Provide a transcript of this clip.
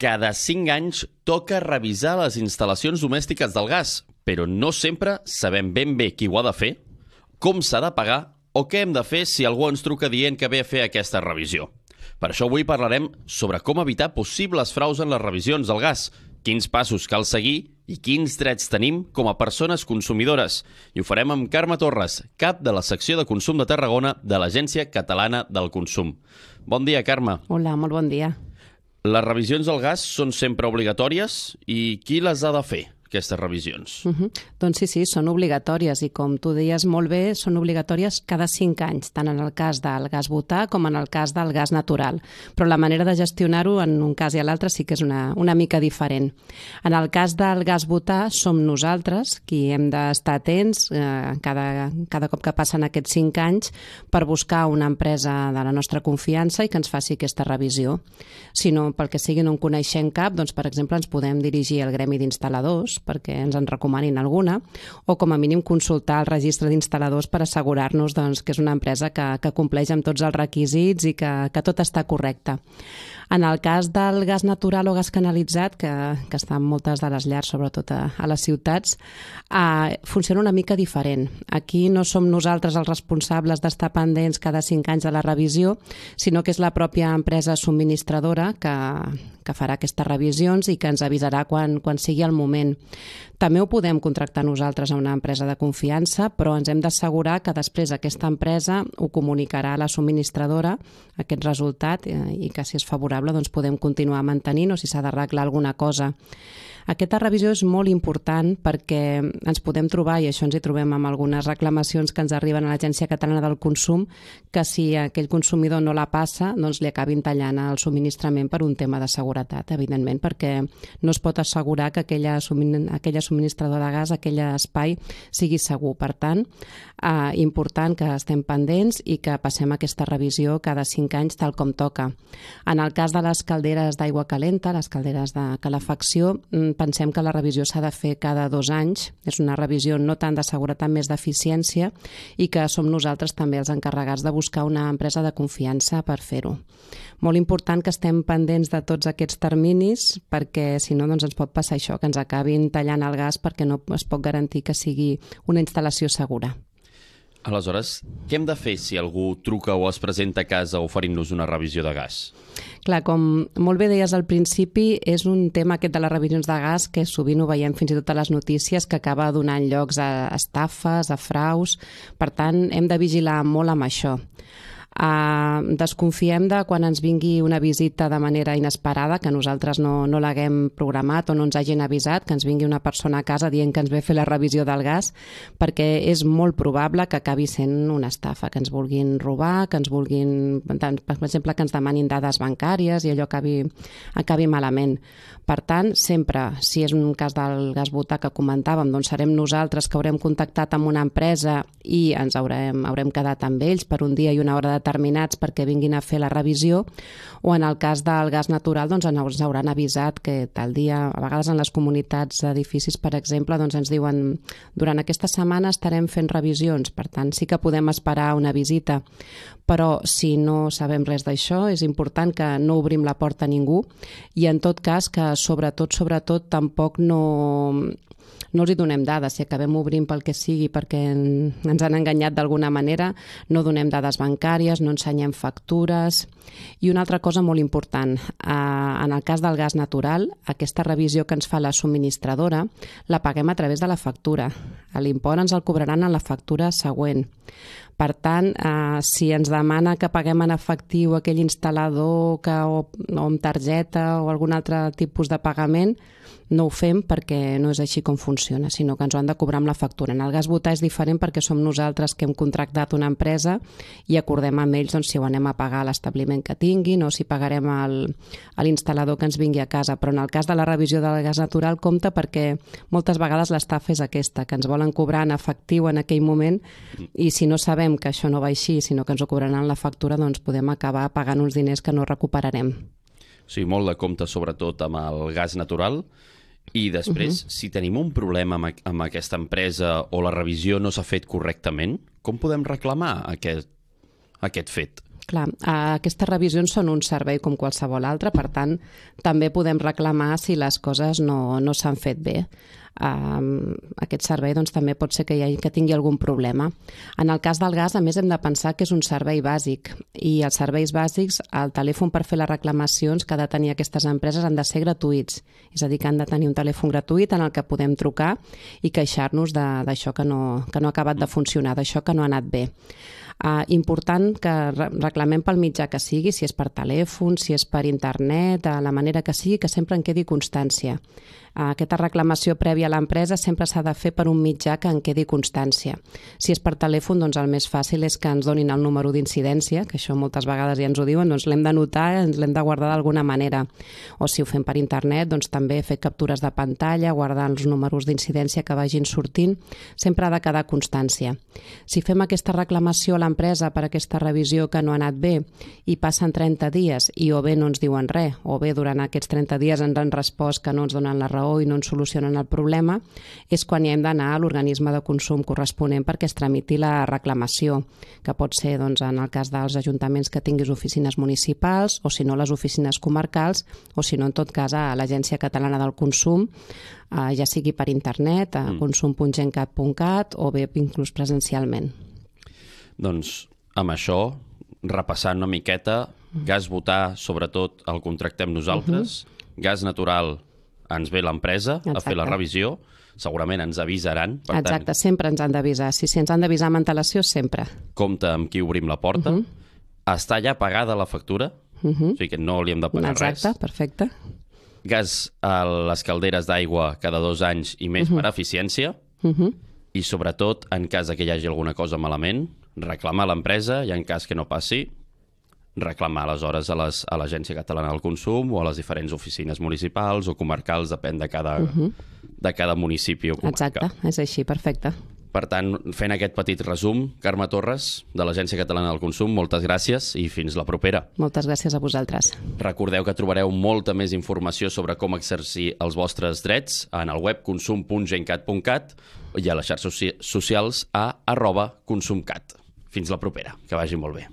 Cada 5 anys toca revisar les instal·lacions domèstiques del gas, però no sempre sabem ben bé qui ho ha de fer, com s'ha de pagar o què hem de fer si algú ens truca dient que ve a fer aquesta revisió. Per això avui parlarem sobre com evitar possibles fraus en les revisions del gas, quins passos cal seguir i quins drets tenim com a persones consumidores. I ho farem amb Carme Torres, cap de la secció de consum de Tarragona de l'Agència Catalana del Consum. Bon dia, Carme. Hola, molt bon dia. Les revisions del gas són sempre obligatòries i qui les ha de fer, aquestes revisions? Doncs sí, són obligatòries i com tu deies molt bé, són obligatòries cada 5 anys, tant en el cas del gas butà com en el cas del gas natural. Però la manera de gestionar-ho en un cas i a l'altre sí que és una mica diferent. En el cas del gas butà som nosaltres qui hem d'estar atents cada cop que passen aquests 5 anys per buscar una empresa de la nostra confiança i que ens faci aquesta revisió. Si no, pel que sigui, no en coneixem cap, doncs, per exemple, ens podem dirigir al gremi d'instal·ladors perquè ens en recomanin alguna, o com a mínim consultar el registre d'instal·ladors per assegurar-nos que és una empresa que compleix amb tots els requisits i que tot està correcte. En el cas del gas natural o gas canalitzat, que està en moltes de les llars, sobretot a les ciutats, funciona una mica diferent. Aquí no som nosaltres els responsables d'estar pendents cada 5 anys de la revisió, sinó que és la pròpia empresa subministradora que farà aquestes revisions i que ens avisarà quan sigui el moment. També ho podem contractar nosaltres a una empresa de confiança, però ens hem d'assegurar que després aquesta empresa ho comunicarà a la subministradora, aquest resultat, i que si és favorable doncs podem continuar mantenint o si s'ha d'arreglar alguna cosa. Aquesta revisió és molt important perquè ens podem trobar, i això ens hi trobem amb algunes reclamacions que ens arriben a l'Agència Catalana del Consum, que si aquell consumidor no la passa, doncs li acabin tallant el subministrament per un tema de seguretat, evidentment, perquè no es pot assegurar que aquella subministradora de gas, aquell espai, sigui segur. Per tant, important que estem pendents i que passem aquesta revisió cada 5 anys tal com toca. En el cas de les calderes d'aigua calenta, les calderes de calefacció, pensem que la revisió s'ha de fer cada 2 anys. És una revisió no tant de seguretat, més d'eficiència, i que som nosaltres també els encarregats de buscar una empresa de confiança per fer-ho. Molt important que estem pendents de tots aquests terminis perquè si no doncs ens pot passar això, que ens acabin tallant el gas perquè no es pot garantir que sigui una instal·lació segura. Aleshores, què hem de fer si algú truca o es presenta a casa oferint-nos una revisió de gas? Clar, com molt bé deies al principi, és un tema aquest de les revisions de gas que sovint ho veiem fins i tot a les notícies que acaba donant llocs a estafes, a fraus. Per tant, hem de vigilar molt amb això. Desconfiem de quan ens vingui una visita de manera inesperada, que nosaltres no l'haguem programat o no ens hagin avisat, que ens vingui una persona a casa dient que ens ve a fer la revisió del gas, perquè és molt probable que acabi sent una estafa, que ens vulguin robar, que ens vulguin, per exemple, que ens demanin dades bancàries i allò acabi malament. Per tant, sempre, si és un cas del gas butà que comentàvem, doncs serem nosaltres que haurem contactat amb una empresa i ens haurem quedat amb ells per un dia i una hora determinats perquè vinguin a fer la revisió, o en el cas del gas natural doncs ens hauran avisat que tal dia, a vegades en les comunitats d'edificis, per exemple, doncs ens diuen durant aquesta setmana estarem fent revisions, per tant sí que podem esperar una visita, però si no sabem res d'això és important que no obrim la porta a ningú i en tot cas que sobretot tampoc no els hi donem dades. Si acabem obrint pel que sigui perquè ens han enganyat d'alguna manera, no donem dades bancàries, no ensenyem factures. I una altra cosa molt important, en el cas del gas natural, aquesta revisió que ens fa la subministradora la paguem a través de la factura. L'import ens el cobraran en la factura següent. Per tant, si ens demana que paguem en efectiu aquell instal·lador o amb targeta o algun altre tipus de pagament, no ho fem perquè no és així com funciona, sinó que ens ho han de cobrar amb la factura. En el gas butà és diferent perquè som nosaltres que hem contractat una empresa i acordem amb ells si ho anem a pagar a l'establiment que tinguin o si pagarem a l'instal·lador que ens vingui a casa. Però en el cas de la revisió del gas natural compta perquè moltes vegades l'estafa és aquesta, que ens volen cobrar en efectiu en aquell moment i si no sabem que això no va així, sinó que ens ho cobraran en la factura, doncs podem acabar pagant uns diners que no recuperarem. O sigui, molt de compte sobretot amb el gas natural. I després, si tenim un problema amb aquesta empresa o la revisió no s'ha fet correctament, com podem reclamar aquest fet? Clar, aquestes revisions són un servei com qualsevol altre, per tant, també podem reclamar si les coses no s'han fet bé. Aquest servei doncs, també pot ser que tingui algun problema. En el cas del gas, a més, hem de pensar que és un servei bàsic i els serveis bàsics, el telèfon per fer les reclamacions que ha de tenir aquestes empreses han de ser gratuïts, és a dir, que han de tenir un telèfon gratuït en el que podem trucar i queixar-nos d'això que no ha acabat de funcionar, d'això que no ha anat bé. Important que reclamem pel mitjà que sigui, si és per telèfon, si és per internet, la manera que sigui, que sempre en quedi constància. Aquesta reclamació prèvia a l'empresa sempre s'ha de fer per un mitjà que en quedi constància. Si és per telèfon, doncs el més fàcil és que ens donin el número d'incidència, que això moltes vegades ja ens ho diuen, doncs l'hem d'anotar, ens l'hem de guardar d'alguna manera. O si ho fem per internet, doncs també fer captures de pantalla, guardar els números d'incidència que vagin sortint, sempre ha de quedar constància. Si fem aquesta reclamació a l'empresa per aquesta revisió que no ha anat bé i passen 30 dies i o bé no ens diuen res, o bé durant aquests 30 dies ens han respost que no ens donen la raó i no ens solucionen el problema, és quan ja hem d'anar a l'organisme de consum corresponent perquè es tramiti la reclamació, que pot ser doncs, en el cas dels ajuntaments que tinguis oficines municipals o si no les oficines comarcals o si no en tot cas a l'Agència Catalana del Consum, ja sigui per internet, a consum.gencat.cat o bé inclús presencialment. Doncs amb això, repassant una miqueta, gas butà, sobretot el contractem nosaltres, gas natural ens ve l'empresa a fer la revisió, segurament ens avisaran. Exacte, sempre ens han d'avisar. Si ens han d'avisar amb antelació, sempre. Compte amb qui obrim la porta. Està ja pagada la factura, o sigui que no li hem de pagar res. Exacte, perfecte. Gas a les calderes d'aigua cada 2 anys i més per eficiència. I sobretot, en cas que hi hagi alguna cosa malament, reclamar a l'empresa i en cas que no passi, reclamar aleshores a l'Agència Catalana del Consum o a les diferents oficines municipals o comarcals, depèn de cada municipi o comarca. Exacte, és així, perfecte. Per tant, fent aquest petit resum, Carme Torres, de l'Agència Catalana del Consum, moltes gràcies i fins la propera. Moltes gràcies a vosaltres. Recordeu que trobareu molta més informació sobre com exercir els vostres drets en el web consum.gencat.cat i a les xarxes socials a @consumcat. Fins la propera, que vagi molt bé.